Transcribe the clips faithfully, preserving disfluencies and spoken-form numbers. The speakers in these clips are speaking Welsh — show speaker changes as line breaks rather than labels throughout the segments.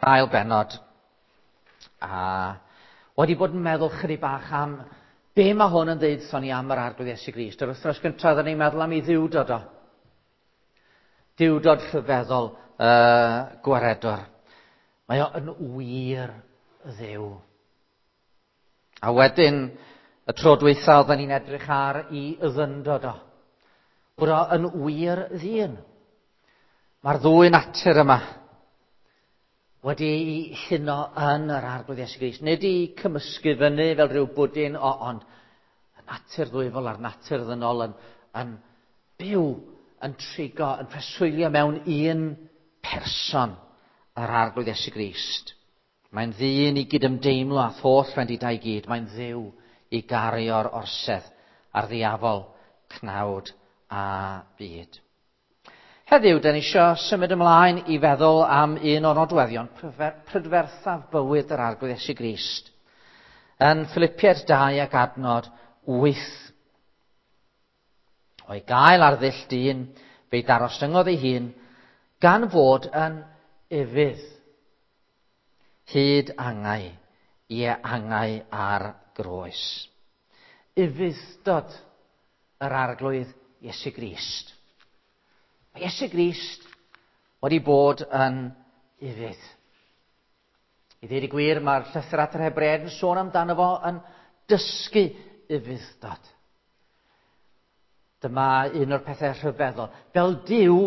Ail bennod, a wedi bod yn meddwl chydig bach am be mae hwn yn ddeud wrthon ni am yr Arglwydd Iesu Grist. Yr wythnos gyntaf oedden ni'n meddwl am ei ddiwdod o. Diwdod rhyfeddol uh, gwaredwr. Mae o yn wir Dduw. A wedyn, y tro dwytha oedden ni'n edrych ar i ddyndod o. Bod o yn wir ddyn. Mae'r ddwy natur yma wedi ei huno yn yr Arglwydd Iesu Grist. Nid i cymysgu fyny fel rhyw bwdin, o, ond y natur ddwyfol a'r natur ddynol yn, yn byw, yn trigo, yn preswylio mewn un person, yr Arglwydd Iesu Grist. Mae'n ddyn i gydymdeimlo â holl wendidau i gyd. Mae'n Dduw i gario'r orsedd ar ddiafol, cnawd a byd. Heddiw, da ni eisiau symud ymlaen i feddwl am un o'r nodweddion prydferthaf bywyd yr Arglwydd Iesu Grist. Yn Philippiaid dau ac adnod wyth. O'i gael ar ddull dyn, fe'i darostyngodd ei hun, gan fod yn ufudd. Hyd angau, ie angau ar groes. Ufudd-dod yr Arglwydd Iesu Grist. Mae Iesu Grist wedi bod yn ufudd. I ddweud y gwir, mae'r llythyr at yr Hebreaid yn sôn amdano fo yn dysgu ufudd-dod. Dyma un o'r pethau rhyfeddol. Fel Duw,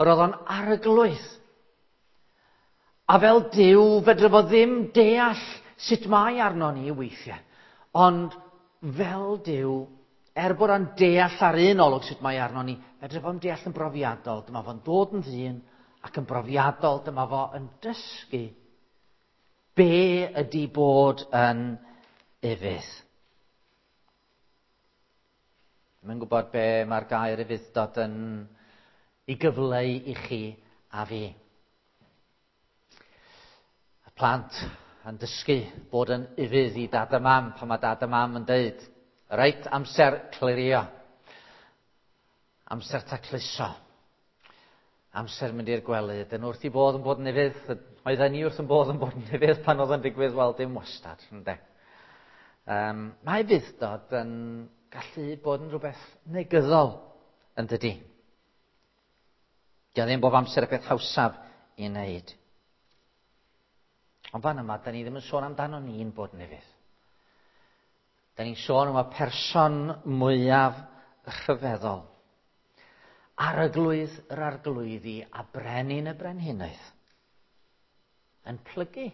yr oedd o'n arglwydd. A fel Duw, fedra fo ddim deall sut mae arno ni weithiau. Ond fel Duw, er bod o'n deall ar un olwg sut mae arno ni, fedra fo'n deall yn brofiadol. Dyma fo'n dod yn ddyn ac yn brofiadol, dyma fo yn dysgu be ydy bod yn ufudd. Dwi'm yn gwybod be mae'r gair ufudd-dod yn ei gyfleu i chi a fi. Y plant yn dysgu bod yn ufudd i dad a mam pan mae dad a mam yn deud, reit, amser clirio, amser tacluso, amser mynd i'r gwely. Dyn wrth i bodd yn bod yn ufudd, oedden ni wrth yn bodd yn bod yn ufudd pan oedd yn digwydd, wel, dim wastad, ynde. Um, mae ufudd-dod yn gallu bod yn rhywbeth negyddol, yn dydi? Dio ddim bob amser y peth hawsaf i wneud. Ond fan yma, da ni ddim yn sôn amdano ni'n bod yn ufudd. Da ni'n sôn am y person mwyaf rhyfeddol. Arglwydd yr arglwyddi a brenin y brenhinoedd. Yn plygu.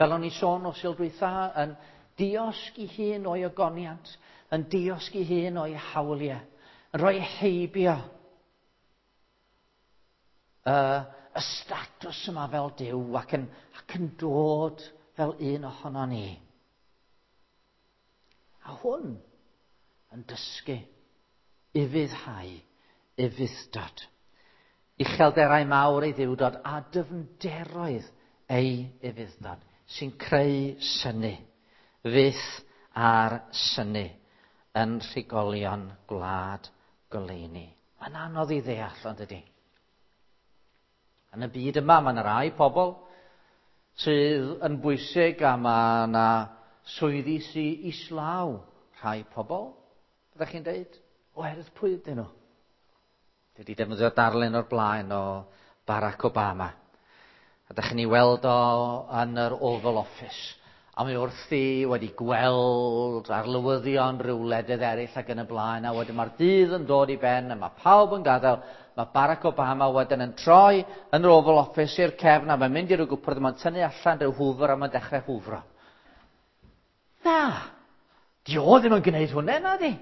Fel o'n i sôn o Sul dwytha, yn diosg i hun o'i ogoniant, yn diosg i hun o'i hawliau, yn rhoi heibio uh, y statws yma fel Duw ac yn, ac yn dod fel un ohono ni. A hwn yn dysgu ufuddhau, ufudd-dod. Uchelderau mawr ei ddiwdod a dyfnderoedd ei ufudd-dod sy'n creu synnu, fyth ar synnu yn rhigolion gwlad goleuni. Mae'n anodd i ddeall, ond ydy. Yn y byd yma, mae yna rai pobl sydd yn bwysig a mae yna swyddi sydd islaw rhai pobl, byddech chi'n deud, oherwydd pwy ydyn nhw? Dwi wedi defnyddio darlun o'r blaen o Barack Obama. A dych chi'n ei weld o yn yr Oval Office. A mae wrthi wedi gweld arlywyddion rhyw wledydd eraill ac yn y blaen. A wedyn mae'r dydd yn dod i ben a mae pawb yn gadael. Mae Barack Obama wedyn yn troi yn yr Oval Office i'r cefn a mae'n mynd i ryw gwpwrdd, mae'n tynnu allan rhyw hwfr a mae'n dechrau hwfro. Na, di o ddim yn gwneud hwnna, na di.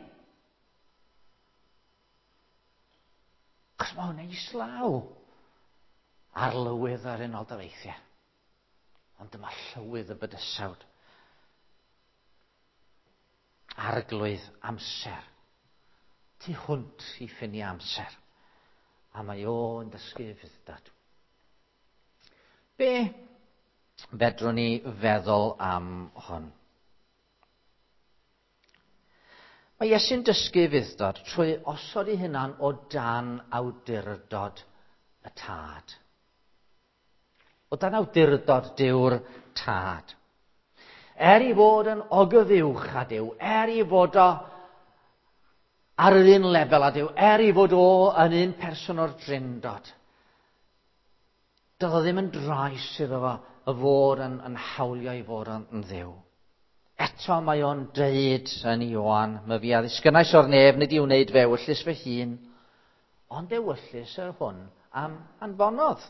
Cos mae hwnna islaw arlywydd ar Unol Daleithiau. Ond dyma llywydd y bydysawd. Arglwydd amser. Tu hwnt i ffiniau amser. A mae o'n dysgu ufudd-dod. Be fedrwn ni feddwl am hwn? Mae Iesu'n dysgu ufudd-dod trwy osod ei hunan o dan awdurdod y Tad. O dan awdurdod Duw'r Tad. Er i fod yn ogyfuwch â Duw, er i fod o ar yr un lefel â Duw, er i fod o yn un person o'r Drindod, doedd o ddim yn drais iddo fo y fod yn, yn hawlio i fod yn, yn Dduw. Eto mae o'n deud yn Ioan, "My fi a ddisgynnais o'r nef, nid i wneud fe ewyllys fy hun, ond ewyllys yr hwn am anfonodd."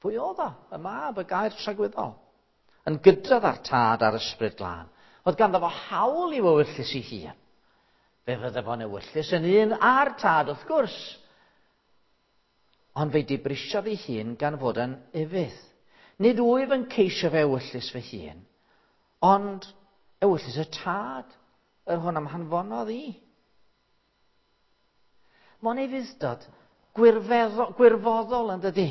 Pwy oedd o? Y Mab, y Gair tragwyddol. Yn gydradd â'r Tad a'r Ysbryd Glân. Oedd ganddo fo hawl i'w ewyllys ei hun. Fe fydde fo'n ewyllys yn un â'r Tad, wrth gwrs. Ond fe'i dibrisiodd ei hun gan fod yn ufudd. "Nid wyf yn ceisio fe ewyllys fy hun, ond ewyllys y Tad, yr hwn am hanfonodd i." Mae'n ufudd-dod gwirfoddol yn dydy.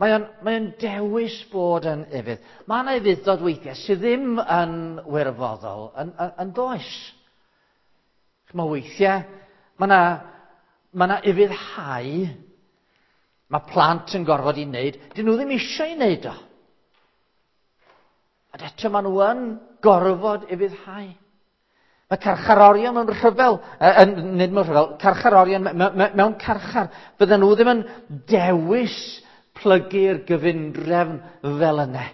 Mae o'n, mae o'n dewis bod yn ufudd. Mae yna ufudd-dod weithiau sydd ddim yn wirfoddol, yn, yn, yn does. Mae weithiau, mae yna mae yna ufuddhau mae plant yn gorfod i wneud, dyn nhw ddim eisiau i wneud o. Ond eto maen nhw yn gorfod ufuddhau. Mae carcharorion mewn rhyfel, uh, nid mewn rhyfel, carcharorion mewn carchar, fydden nhw ddim yn dewis plygu'r gyfundrefn fel yna.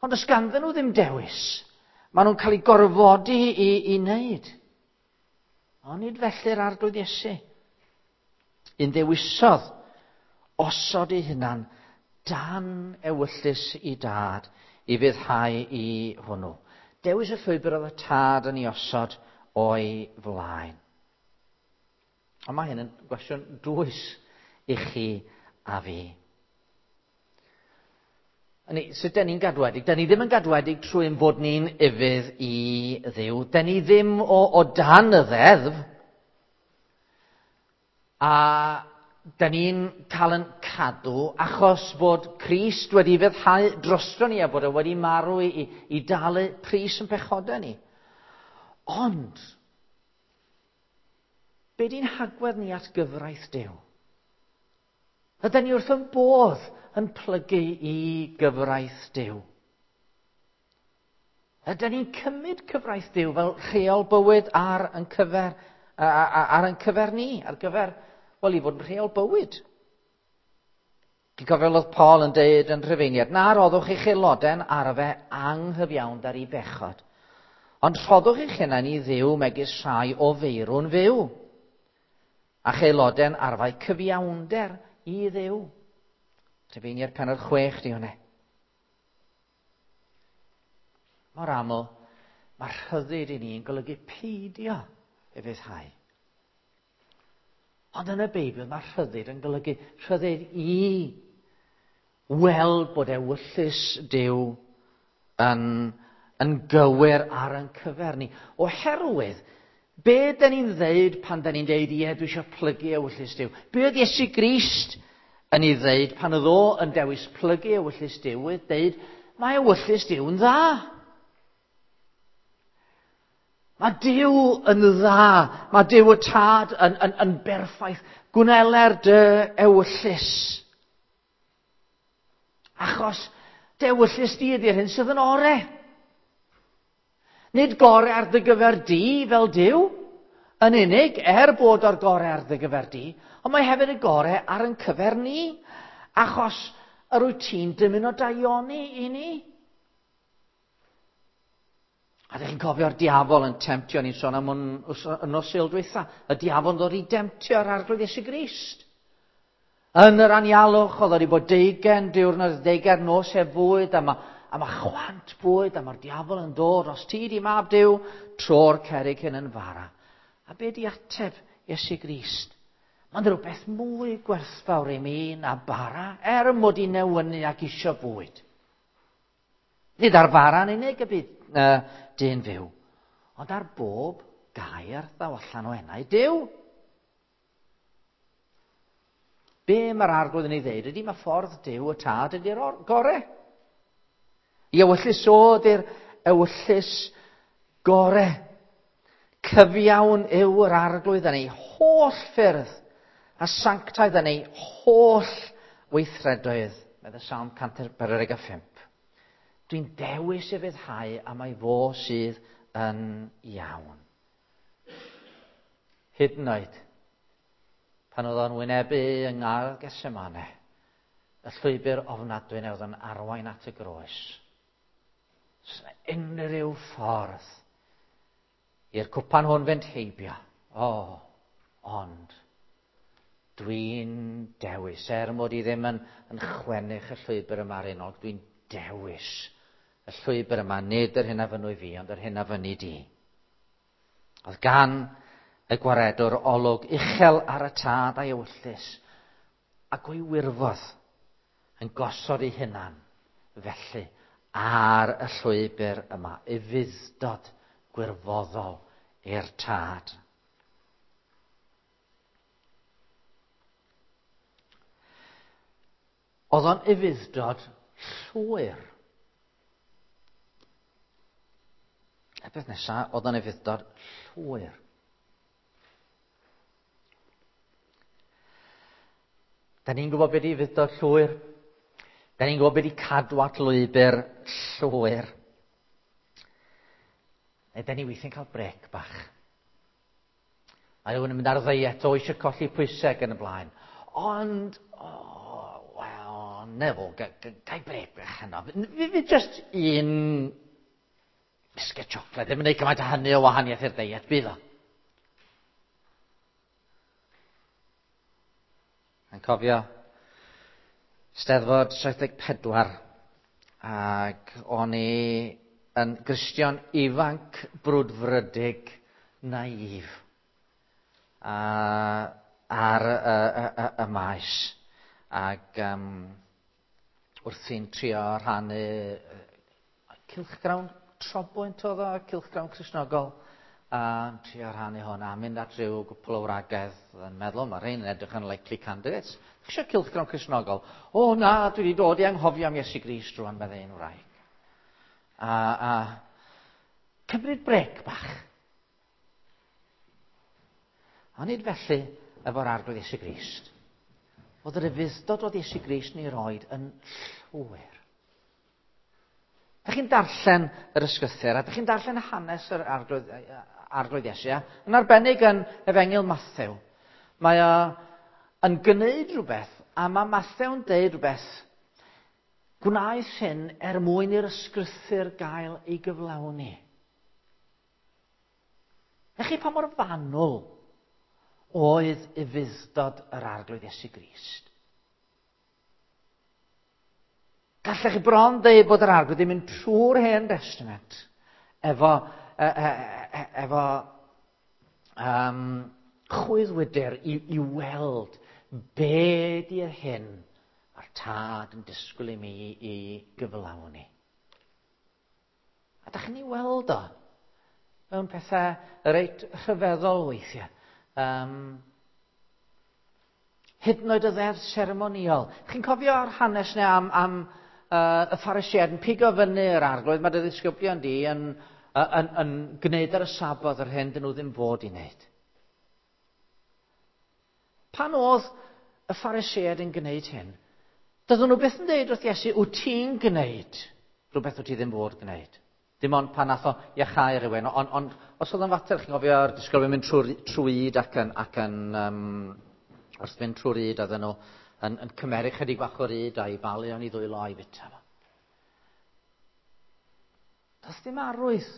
Ond os ganddyn nhw ddim dewis, maen nhw'n cael eu gorfodi i, i wneud. Ond nid felly'r Arglwydd Iesu. Un ddewisodd osod ei hunan dan ewyllys i Dad i ufuddhau i hwnnw. Dewis y llwybr oedd y Tad yn ei osod o'i flaen. Ond mae hyn yn gwestiwn dwys i chi a fi. Ni, sut den ni'n gadwedig? Den ni ddim yn gadwedig trwy ein bod ni'n ufudd i Dduw. Den ni ddim o, o dan y ddeddf. A den ni'n cael yn cadw achos bod Crist wedi ufuddhau drosto ni a bod e wedi marw i, i, i dalu pris yn pechodau ni. Ond, be di'n hagwedd ni at gyfraith Duw? Ydyn ni wrth yn bodd yn plygu i gyfraith Duw? Ydyn ni'n cymryd cyfraith Duw fel rheol bywyd ar yn cyfer, ar yn cyfer ni, ar gyfer, wel, i fod yn rheol bywyd? Dwi'n cofio oedd Paul yn deud yn Rhufeiniad, "Na roddwch eich aelodau'n arfe anghyfiawnder i bechod, ond rhoddwch eich hunain i Dduw megis rhai o feirw'n fyw, a'ch aelodau'n arfau cyfiawnder i Dduw." Rhufeiniad pennod chwech di hwnna. Mor aml, mae rhyddid i ni yn golygu peidio ufuddhau. Ond yn y Beibl mae rhyddid yn golygu rhyddid i weld bod ewyllys Duw yn, yn gywir ar ein cyfer ni. Oherwydd, be dyn ni'n ddeud pan dyn ni'n deud, "Ie, dwi eisiau plygu ewyllys Duw"? Be oedd Iesu Grist yn ei ddeud pan oedd o yn dewis plygu ewyllys Duw? Oedd deud, mae ewyllys Duw yn dda. Mae Duw yn dda. Mae Duw y Tad yn, yn, yn berffaith. Gwneler dy ewyllys. Achos dy ewyllys di ydy'r hyn sydd yn ore. Nid gore ar dy gyfer di fel Duw yn unig, er bod o'r gore ar dy gyfer di, ond mae hefyd y gore ar yn cyfer ni, achos yr wyt ti'n dymuno daioni i ni. A ydych chi'n cofio'r diafol yn temtio, ni'n sôn am hwn yn nos Sul dwytha, y diafol yn dod i demtio'r Arglwydd Iesu Grist. Yn yr anialwch, oedd wedi bod deugain diwrnod, deugain nos heb fwyd, a mae, a mae chwant bwyd, a mae'r diafol yn dod, "Os ti di Mab Duw, tro'r cerrig hyn yn fara." A be di ateb Iesu Grist? "Mae'n rhywbeth mwy gwerthfawr i mi na bara, er mod i newynu ac isio bwyd. Nid ar fara yn unig y bydd uh, dyn fyw, ond ar bob gair ddaw allan o enau Duw." Be mae'r Arglwydd yn ei ddeud ydy mae ffordd Duw y Tad ydy'r gore. I ewyllys o ydy'r ewyllys gore. Cyfiawn yw yr Arglwydd yn ei holl ffyrdd a sanctaidd yn ei holl weithredoedd, medd y Salm cant pedwar deg pump. Dwi'n dewis ufuddhau a mae fo sydd yn iawn. Hyd yn oed, pan oedd o'n wynebu yng Ngardd Gethsemane, y llwybr ofnadwy oedd yn arwain at y groes. Unrhyw ffordd i'r cwpan hwn fynd heibio. O, ond dwi'n dewis, er mod i ddim yn, yn chwennych y llwybr yma ar unog, dwi'n dewis y llwybr yma, nid yr hyn a fynnu fi, ond yr hyn a fynnu di. Oedd gan y gwaredwr olwg uchel ar y tad a'i ewyllys, ac o'i wirfodd yn gosod ei hunan felly ar y llwybr yma, ufudd-dod gwirfoddol i'r tad. Oedd o'n ufudd-dod llwyr. Y peth nesaf, oedd o'n ufudd-dod llwyr. Da ni'n gwybod beth i ufudd-dod llwyr. Da ni'n gwybod beth i cadw at lwybr llwyr. Neu da ni weithiau'n cael brec bach. Mae rhywun yn mynd ar ddeiet o eisiau colli pwysau yn y blaen. Ond, oh, wel, nefo, gai brec bach heno. Fi, fi just un bisged siocled, ddim yn gwneud cymaint o hynny o wahaniaeth i'r deiet, bydd o. Yn cofio Steddfod saith deg pedwar, ac o'n i yn Gristion ifanc brwdfrydig naif a, ar y, y, y, y maes, ac um, wrthi'n trio rhannu cylchgrawn trobwynt oedd o, cylchgrawn Cristnogol, a trio rhannu hwn, a mynd at ryw gwpl o wragedd yn meddwl, mae rhain yn edrych yn likely candidates. Chi eisiau cylchgrawn Cristnogol? O na, dwi wedi dod i anghofio am Iesu Grist rwan, meddai un wraig. A, a cymryd brec bach. A nid felly efo'r Arglwydd Iesu Grist. Oedd yr ufudd-dod oedd Iesu Grist ni roed yn llwyr. Dych chi'n darllen yr ysgrythur, a dych chi'n darllen hanes yr Arglwydd, Arglwydd Iesu, yn arbennig yn Efengyl Mathew. Mae o yn gwneud rhywbeth, a mae Mathew'n deud rhywbeth, gwnaeth hyn er mwyn i'r ysgrythur gael ei gyflawni. Ych chi pa mor fanwl oedd ufudd-dod yr Arglwydd Iesu Grist? Gallech chi bron dweud bod yr Arglwydd yn mynd trwy'r Hen Destament efo, e, e, e, efo um, chwyddwydr i, i weld be di'r hyn a'r tad yn disgwyl i mi i gyflawni. A da chi'n ei weld o mewn pethau reit rhyfeddol weithiau. Um, hyd yn oed y ddeddf seremoniol. Chi'n cofio'r hanes neu am, am uh, y Pharisïaid yn pigo fyny yr Arglwydd, mae dy ddisgyblion di yn, yn, yn, yn gwneud ar y Sabodd yr hyn dyn nhw ddim fod i wneud. Pan oedd y Pharisïaid yn gwneud hyn, doedden nhw byth yn dweud wrth Iesu, wyt ti'n gwneud rhywbeth wyt ti ddim fod gwneud? Dim ond pan nath o iachau rhywun, ond on, os oedd yn fater, chi'n cofio'r disgyblion mynd trwy'r trwy ac yn, ac yn um, wrth fynd trwy'r yd, oedden nhw yn, yn cymeru chydig bach o'r yd a'i balu o'n i ddwylo a'i fita fo. Doedd dim arwydd,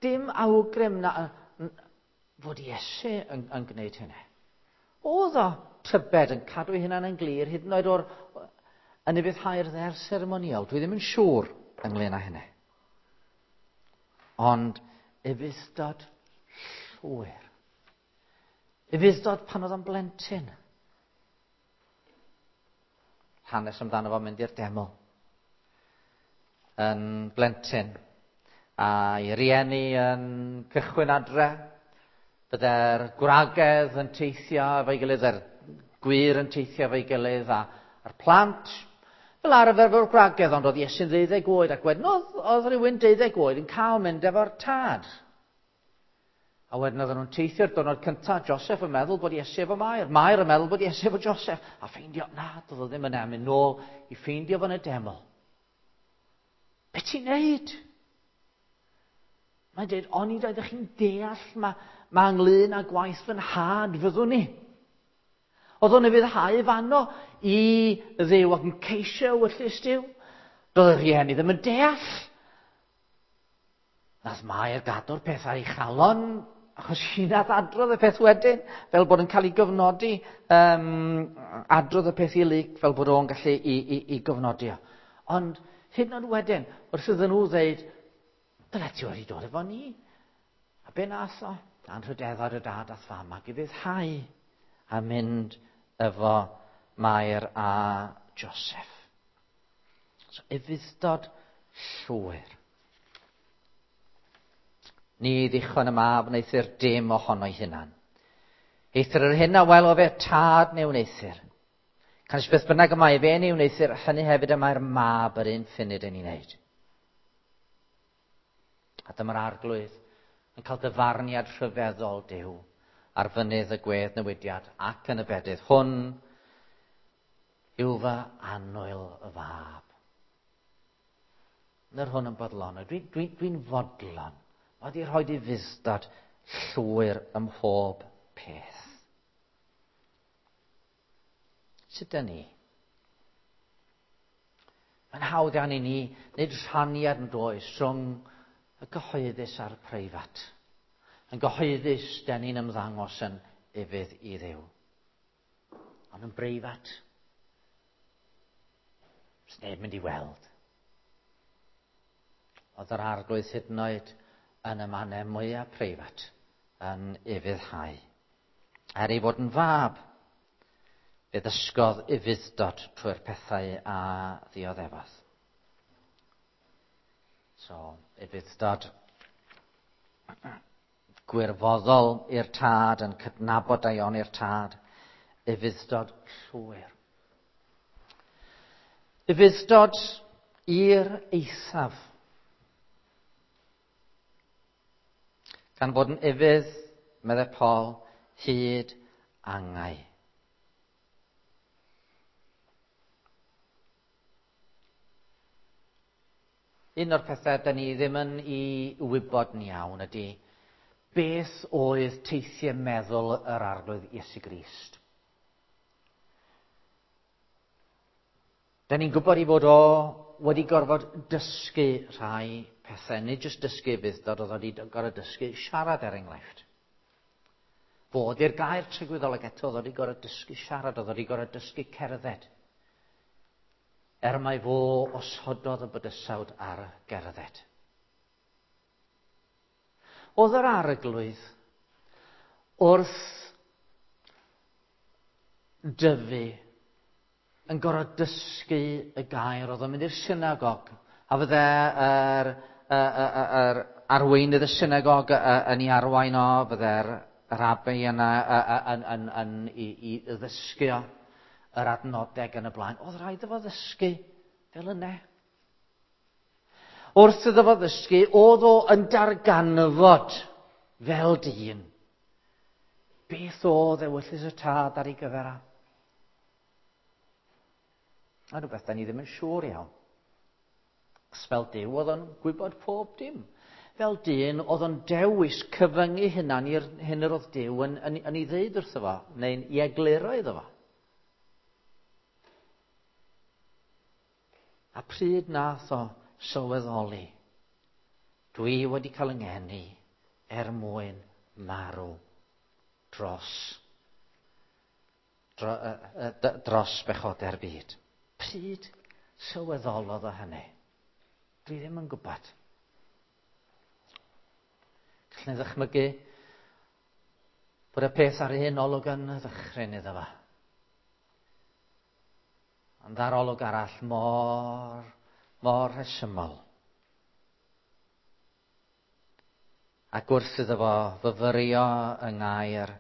dim awgrym na, fod Iesu yn, yn gwneud hynny. Oedd o tybed yn cadw ei hunan yn glir, hyd yn oed o'r yn ufuddhau'r ddeddf seremoniol. Dwi ddim yn siŵr ynglyn â hynny. Ond ufudd-dod llwyr. Ufudd-dod pan oedd o'n blentyn. Hanes amdano fo mynd i'r deml. Yn blentyn. A'i rieni yn cychwyn adre. Bydde'r gwragedd yn teithio efo'i gilydd, yr gwŷr yn teithio efo'i gilydd, a, a'r plant fel arfer efo'r gwragedd, ond oedd Iesu'n ddeuddeg oed, ac wedyn oedd, oedd rhywun deuddeg oed yn cael mynd efo'r tad. A wedyn oedden nhw'n teithio'r diwrnod cyntaf, Joseph yn meddwl bod Iesu efo Mair, Mair yn meddwl bod Iesu efo Joseph, a ffeindio, na, doedd o ddim yna, mynd nôl i ffeindio fo'n y deml. Be ti'n neud? Mae'n dweud, oni oeddech chi'n deall mae, ma ynglyn â gwaith fy nhad fyddwn ni. Oedd o'n ufuddhau fanno i Dduw ac yn ceisio ewyllys Duw. Doedd y rhieni ddim yn deall. Nath Mair gadw'r peth ar ei chalon, achos hi nath adrodd y peth wedyn, fel bod yn cael ei gyfnodi, um, adrodd y peth i Luc fel bod o'n gallu i, i, i gyfnodi o. Ond hyd yn oed wedyn, wrth iddyn nhw ddeud, dyle ti wedi dod efo ni. A be nath o? Anrhydeddod y dad ath fam ac ufuddhau a mynd efo Mair a Joseph. So, ufudd-dod llwyr. Ni ddichon y mab wneuthur dim ohono'i hunan. Eithr yr hyn a welo fe tad neu wneuthur. Canys beth bynnag y mae fe neu wneuthur, hynny hefyd y mae'r mab yr un ffunud yn ei wneud. A dyma'r arglwydd yn cael dyfarniad rhyfeddol Duw ar fynydd y gwedd newidiad ac yn y bedydd. Hwn yw fy annwyl y fab. Ny'r hwn yn bodlon. Dwi'n dwi, dwi fodlon. Mae wedi rhoi ufudd-dod llwyr ym mhob peth. Sut dyn ni? Mae'n hawdd iawn i ni wneud rhaniad yn does rhwng y gyhoeddus a'r preifat. Yn gyhoeddus, dyn ni'n ymddangos yn ufudd i Dduw. Ond yn breifat, does neb mynd i weld. Oedd yr arglwydd hyd yn oed yn y mannau mwyaf preifat yn ufuddhau. Er ei fod yn fab, fe ddysgodd ufudd-dod trwy'r pethau a ddioddefodd. So, ufudd-dod gwirfoddol i'r tad, yn cydnabod daioni'r tad, ufudd-dod llwyr. Ufudd-dod i'r eithaf. Gan fod yn ufudd, meddai Paul, hyd angau. Un o'r pethau da ni ddim yn ei wybod yn iawn ydy beth oedd teithiau meddwl yr Arglwydd Iesu Grist. Da ni'n gwybod ei fod o wedi gorfod dysgu rhai pethau, nid jyst dysgu ufudd-dod, oedd wedi gorfod dysgu siarad er enghraifft. Fod i'r gair tragwyddol ac eto, oedd wedi gorfod dysgu siarad, oedd wedi gorfod dysgu cerdded. Er mai fo osododd y bydysawd ar gerdded. Oedd yr arglwydd wrth dyfu yn gorfod dysgu y gair, oedd o'n mynd i'r synagog, a fydde yr, yr, yr arweinydd y synagog yn ei arwain o, fydde'r rabi yna yn, yn, yn, i, i ddysgu o, yr adnodeg yn y blaen. Oedd rhaid iddo fo ddysgu fel yna. Wrth iddo fo ddysgu, oedd o yn darganfod fel dyn beth oedd ewyllys y tad ar ei gyfer a. A rhywbeth da ni ddim yn siŵr iawn. Achos fel Duw oedd o'n gwybod pob dim. Fel dyn oedd o'n dewis cyfyngu hunan i'r hyn yr oedd Duw yn, yn, yn ei ddeud wrtho fo, neu'n i egluro iddo fo. A pryd nath o sylweddoli, dwi wedi cael yng ngeni er mwyn marw dros, dro, uh, uh, dros bechodau'r byd. Pryd sylweddolodd o hynny? Dwi ddim yn gwybod. Gallwn ni ddychmygu bod y peth ar un olwg yn ddychryn iddo fo. Ond ar olwg arall mor, mor rhesymol. Ac wrth iddo fo fyfyrio yng ngair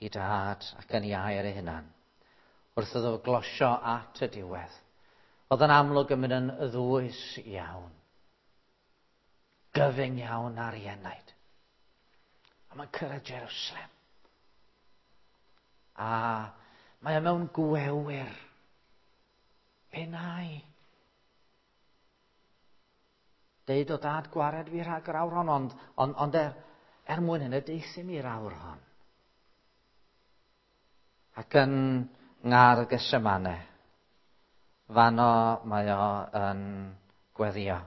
i dad ac yn ei air ei hunan, wrth iddo fo glosio at y diwedd, oedd yn amlwg yn mynd yn ddwys iawn, gyfyng iawn ar ei enaid. A mae'n cyrraedd Jerusalem. A mae o mewn gwewyr. Be nai? Deud o dad gwared fi rhag yr awr hon, ond, ond, ond er, er mwyn hynny deuthum i'r awr hon. Ac yn ngar Gethsemane, fanno mae o yn gweddio.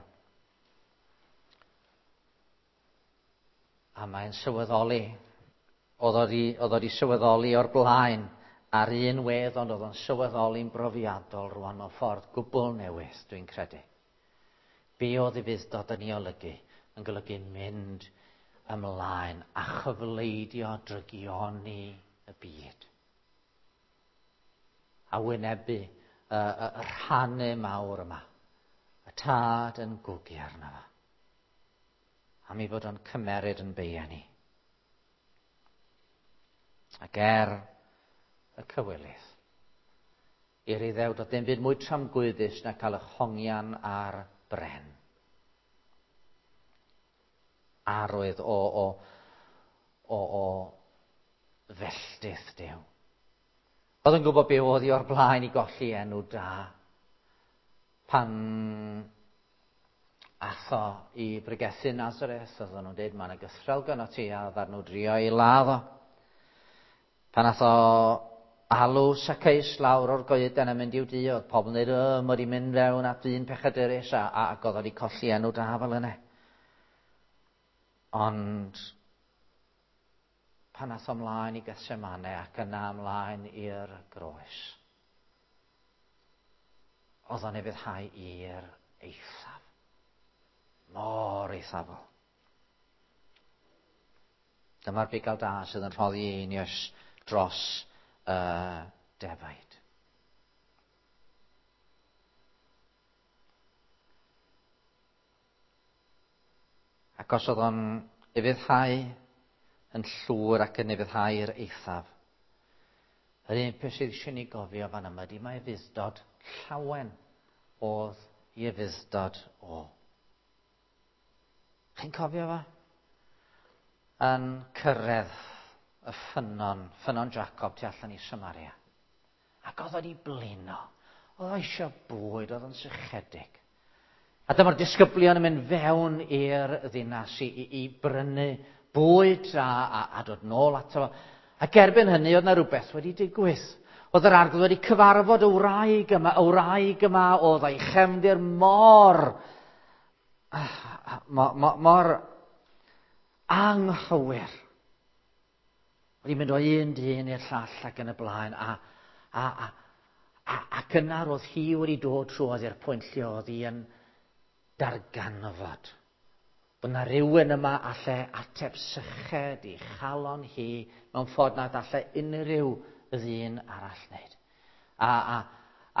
A mae'n sylweddoli, oedd o 'di, oedd o 'di sylweddoli o'r blaen ar un wedd, ond oedd o'n sylweddoli'n brofiadol rwan mewn ffordd gwbl newydd, dwi'n credu. Be oedd ufudd-dod yn ei olygu? Yn golygu mynd ymlaen a chyfleidio drygioni y byd. A wynebu y, y, y rhannu mawr yma. Y tad yn gwgu arno fo. Am ei fod o'n cymeryd yn beia ni. Ac er y cywilydd, i'r Iddew doedd dim byd mwy tramgwyddus na cael y hongian ar bren. Arwydd o, o, o, o felltith Duw. Oedd yn gwybod be oedd hi o'r blaen i golli enw da. Pan atho i bregethu Nazareth, oedden nhw'n dweud, mae yna gythrel gyno ti, a oedden nhw drio i ladd o. Pan atho alw Zacchaeus lawr o'r goeden a mynd i'w dŷ, oedd pobl yn dweud, o, mae wedi mynd fewn at ddyn pechadurus, a, a, ac oedd wedi colli enw da fel yna. Ond pan ath o ymlaen i Gethsemane ac yna ymlaen i'r groes, oedd o'n ufuddhau i'r eithaf. Mor eithafol. Dyma'r bugail da sydd yn rhoddi einioes dros y defaid. Ac os oedd o'n ufuddhau yn llwyr ac yn ufuddhau i'r eithaf, yr un peth sydd eisiau ni gofio fan yma ydy mae ufudd-dod llawen oedd i ufudd-dod o. Chi'n cofio fo? Yn cyrraedd y ffynnon, ffynnon Jacob tu allan i Samaria. Ac oedd wedi blino. Oedd o eisiau bwyd, oedd o'n sychedig. A dyma'r disgyblion yn mynd fewn i'r ddinas i, i, i brynu bwyd a, a, a dod nôl ato fo. Ac erbyn hynny oedd yna rhywbeth wedi digwydd. Oedd yr arglwydd wedi cyfarfod y wraig yma, y wraig yma oedd a'i chefndir mor, mor, mor, mor anghywir. Wedi mynd o un dyn i'r llall ac yn y blaen. A, a, a, a, ac yna roedd hi wedi dod trwodd i'r pwynt lle oedd hi yn darganfod bod yna rhywun yma alle ateb syched i chalon hi mewn ffordd nad alle unrhyw ddyn arall wneud. A, a,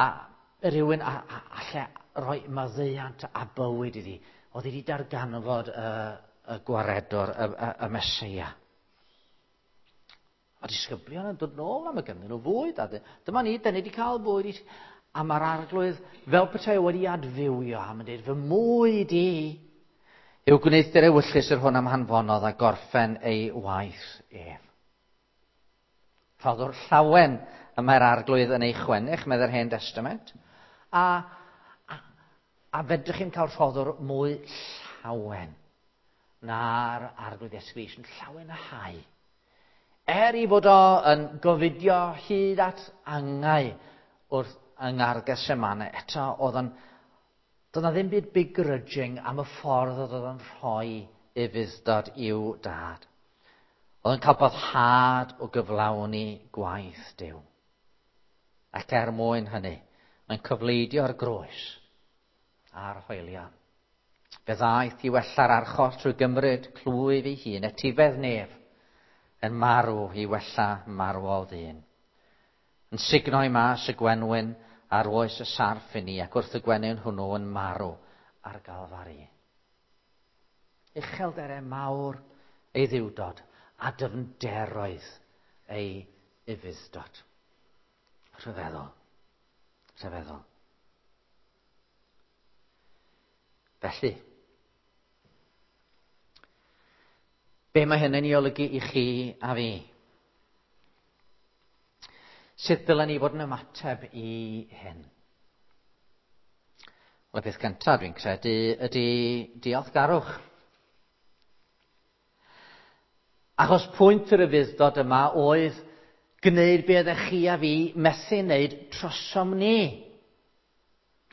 a rhywun a, a, alle roi maddeuant a bywyd iddi. Oedd hi wedi darganfod y, y gwaredwr, y, y, y Meseia. A disgyblion yn dod nôl am y ganddyn nhw fwyd. A dyma ni, dyn ni wedi cael bwyd. A mae'r arglwydd fel petai wedi adfywio am yn dweud, fy mwyd i yw gwneuthur ewyllys yr hwn am hanfonodd a gorffen ei waith ef. Rhoddwr llawen y mae'r arglwydd yn ei chwennych, medde'r Hen Testament. A, a, a fedrwch chi'n cael rhoddwr mwy llawen na'r arglwydd Iesu Grist, yn llawen a hau. Er i fod o yn gofidio hyd at angau wrth yng Ngardd Gethsemane, eto oedd o'n, doedd na ddim byd begrudging am y ffordd oedd o'n rhoi ufudd-dod i'w dad. Oedd yn cael boddhad o gyflawni gwaith Duw. Ac er mwyn hynny, mae'n cyfleidio'r groes a'r hoelion. Fe ddaeth i wella'r archoll trwy gymryd clwyf ei hun, etifedd nef, yn marw i wella marwol ddyn. Yn sugno i mas y gwenwyn ar oes y sarff i ni, ac wrth y gwenwyn hwnnw yn marw ar Galfari. Uchelderau mawr ei ddiwdod a dyfnderoedd ei ufudd-dod. Rhyfeddol. Rhyfeddol. Felly, Be mae hynny'n ei olygu i chi a fi? Sut dylen ni fod yn ymateb i hyn? Wel, y peth cyntaf dwi'n credu ydy diolchgarwch. Achos pwynt yr ufudd-dod yma oedd gwneud be oeddech chi a fi methu wneud trosom ni.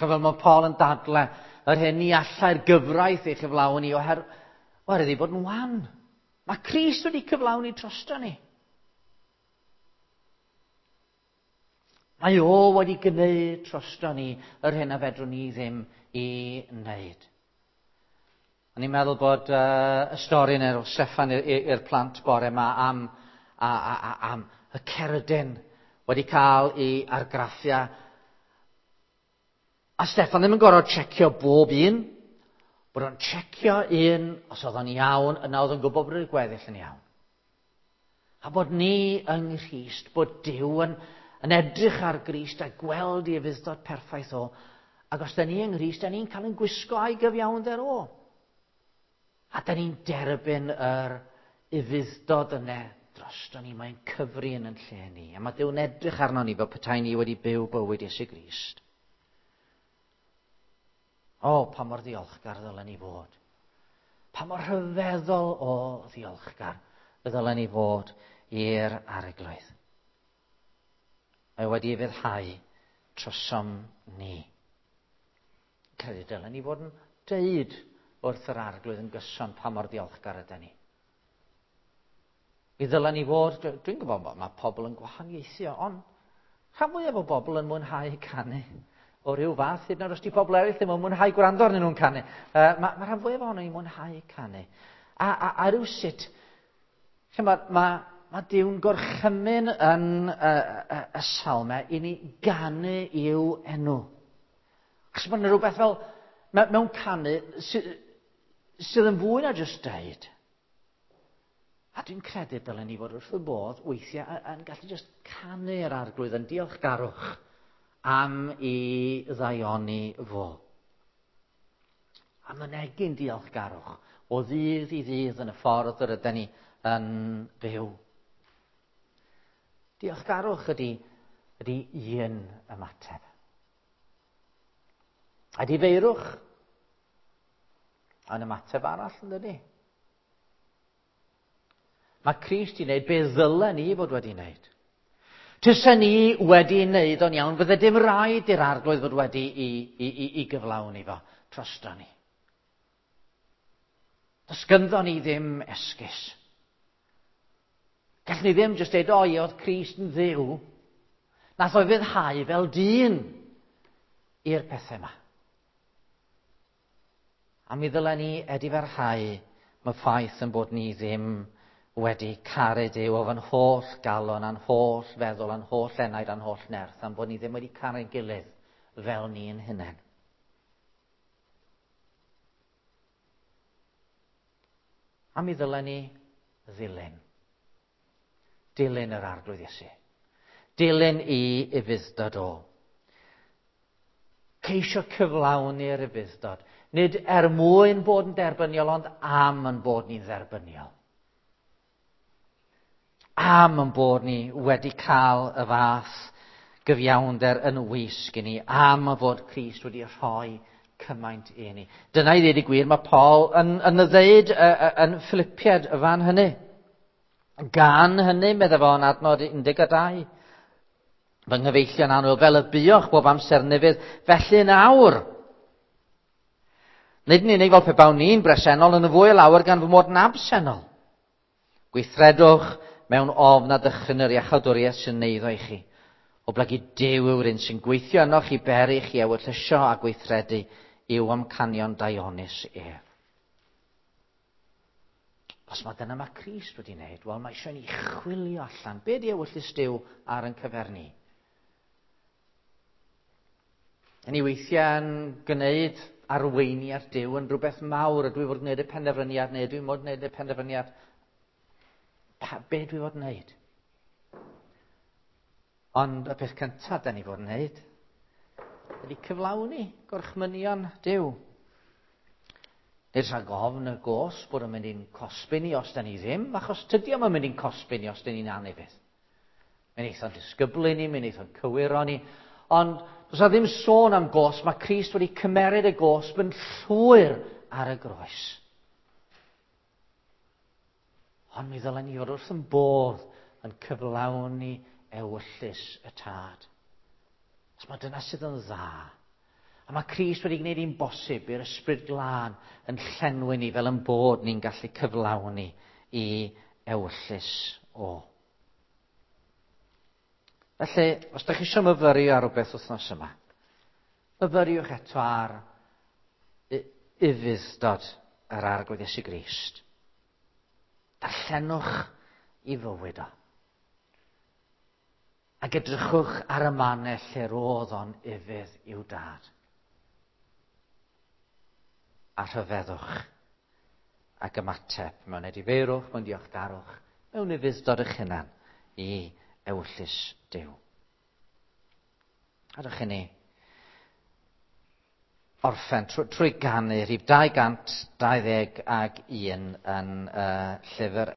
Fel mae Paul yn dadle, yr hyn ni allai'r gyfraith ei chyflawni oherwydd ei bod yn wan. Mae Crist wedi cyflawni drosto ni. Mae o wedi gwneud drosto ni yr hyn a fedrwn ni ddim i wneud. O'n i'n meddwl bod uh, y stori yna o Steffan i'r plant bore yma am, a, a, a, am y cerdyn wedi cael ei argraffiau. A Steffan ddim yn gorfod checio bob un. Bod o'n checio un, os oedd o'n iawn, yna oedd o'n gwybod bod y gweddill yn iawn. A bod ni yng Nghrist, bod Duw yn, yn edrych ar Grist a gweld ei ufudd-dod perffaith o. Ac os da ni yng Nghrist, da ni'n cael ein gwisgo a'i gyfiawnder o. A da ni'n derbyn yr ufudd-dod yna drosto ni. Mae'n cyfri yn yn lle ni. A mae Duw'n edrych arno ni fel petai ni wedi byw bywyd Iesu Grist. O, pa mor ddiolchgar ddylen ni fod. Pa mor rhyfeddol o ddiolchgar ddylen ni fod i'r Arglwydd. Mae wedi ufuddhau trosom ni. Credu dylen ni fod yn deud wrth yr Arglwydd yn gyson pa mor ddiolchgar ydyn ni. Mi ddylen ni fod, dwi'n gwybod bod mae pobl yn gwahaniaethu, ond rhan fwyaf o bobl yn mwynhau canu o ryw fath, hyd yn oed os di pobl eraill ddim yn mwynhau gwrando arnyn nhw'n canu. Uh, mae ma rhan fwyaf ohono ni'n mwynhau canu. A, a, a rywsut, mae ma, ma Duw'n gorchymyn yn y, y, y salmau i ni ganu i'w enw. Achos mae yna rhywbeth fel, mewn canu, sy, sydd yn fwy na jyst deud. A dwi'n credu dylen ni fod wrth y bodd weithiau yn gallu jyst canu'r Arglwydd yn diolchgarwch am i ddaioni fo. A mynegi'n diolchgarwch o ddydd i ddydd yn y ffordd yr ydyn ni yn byw. Diolchgarwch ydy, ydy un ymateb. A difeirwch yn ymateb arall, yn dydy? Mae Crist i wneud be ddylen ni fod wedi wneud. Tysa ni wedi wneud o'n iawn, fydde dim rhaid i'r Arglwydd fod wedi i, i, i, i gyflawni fo drosto ni. Does ganddo ni ddim esgus. Gallwn ni ddim jyst dweud, o ie, oedd Crist yn Dduw. Nath o ufuddhau fel dyn i'r pethau yma. A mi ddylen ni edifarhau mae ffaith yn bod ni ddim wedi caru Duw o fy'n holl galon, a'n holl feddwl, a'n holl enaid, a'n holl nerth, a'n bod ni ddim wedi caru'n gilydd fel ni'n hunain. A mi ddylen ni ddilyn. Dilyn yr Arglwydd Iesu. Dilyn i ufudd-dod o. Ceisio cyflawni'r ufudd-dod. Nid er mwyn bod yn derbyniol, ond am yn bod ni'n dderbyniol. Am yn bod ni wedi cael y fath gyfiawnder yn wisg i ni, am y fod Crist wedi rhoi cymaint i ni. Dyna i ddweud y gwir, mae Paul yn, yn y ddeud yn Philippiaid y fan hynny. Gan hynny, meddai fo yn adnod un deg dau, fy nghyfeillion annwyl, fel y buoch bob amser nefydd, felly yn awr. Nid yn unig fel pe bawn ni'n bresennol, yn y fwy o lawer gan fy mod yn absennol. Gweithredwch mewn ofn a dychryn yr iachawdwriaeth sy'n neiddo i chi. Oblegid Duw yw'r un sy'n gweithio ynoch i beri chi ewyllysio a gweithredu i'w amcanion daionus ef. Os mae dyna mae Crist wedi wneud, wel mae eisiau ni chwilio allan. Be di ewyllys Duw ar ein cyfer ni? Yn ni weithiau'n gwneud arweiniad Duw yn rhywbeth mawr. Ydw i fod gwneud y penderfyniad neu ydw i fod gwneud y penderfyniad? Pa, be dwi fod wneud? Ond y peth cyntaf da ni fod wneud ydy cyflawni gorchmynion Duw. Nid rhag ofn y gosb bod yn mynd i'n cosbi ni os da ni ddim, achos tydi o'm yn mynd i'n cosbi ni os da ni'n anufudd. Mae'n eitha'n disgyblu ni, mae'n eitha'n cywiro ni, ond does na ddim sôn am gosb, mae Crist wedi cymeryd y gosb yn llwyr ar y groes. Ond mi ddylen ni fod wrth yn bodd yn cyflawni ewyllys y Tad. Os mae dyna sydd yn dda. A mae Crist wedi gwneud hi'n bosib i'r Ysbryd Glân yn llenwi ni fel yn bod ni'n gallu cyflawni i ewyllys o. Felly, os da chi eisiau myfyrio ar rhywbeth wythnos yma, myfyriwch eto ar ufudd-dod yr Arglwydd Iesu Grist. Darllenwch i fywyd o. Ac edrychwch ar y mannau lle roedd o'n ufudd i'w dad. A rhyfeddwch ac ymateb mewn edifeirwch, mewn diolchgarwch, mewn ufudd-dod eich hunan i ewyllys Duw. A dych ni orffen trwy, trwy ganu rhif dau gant dau ddeg ag un yn uh, llyfr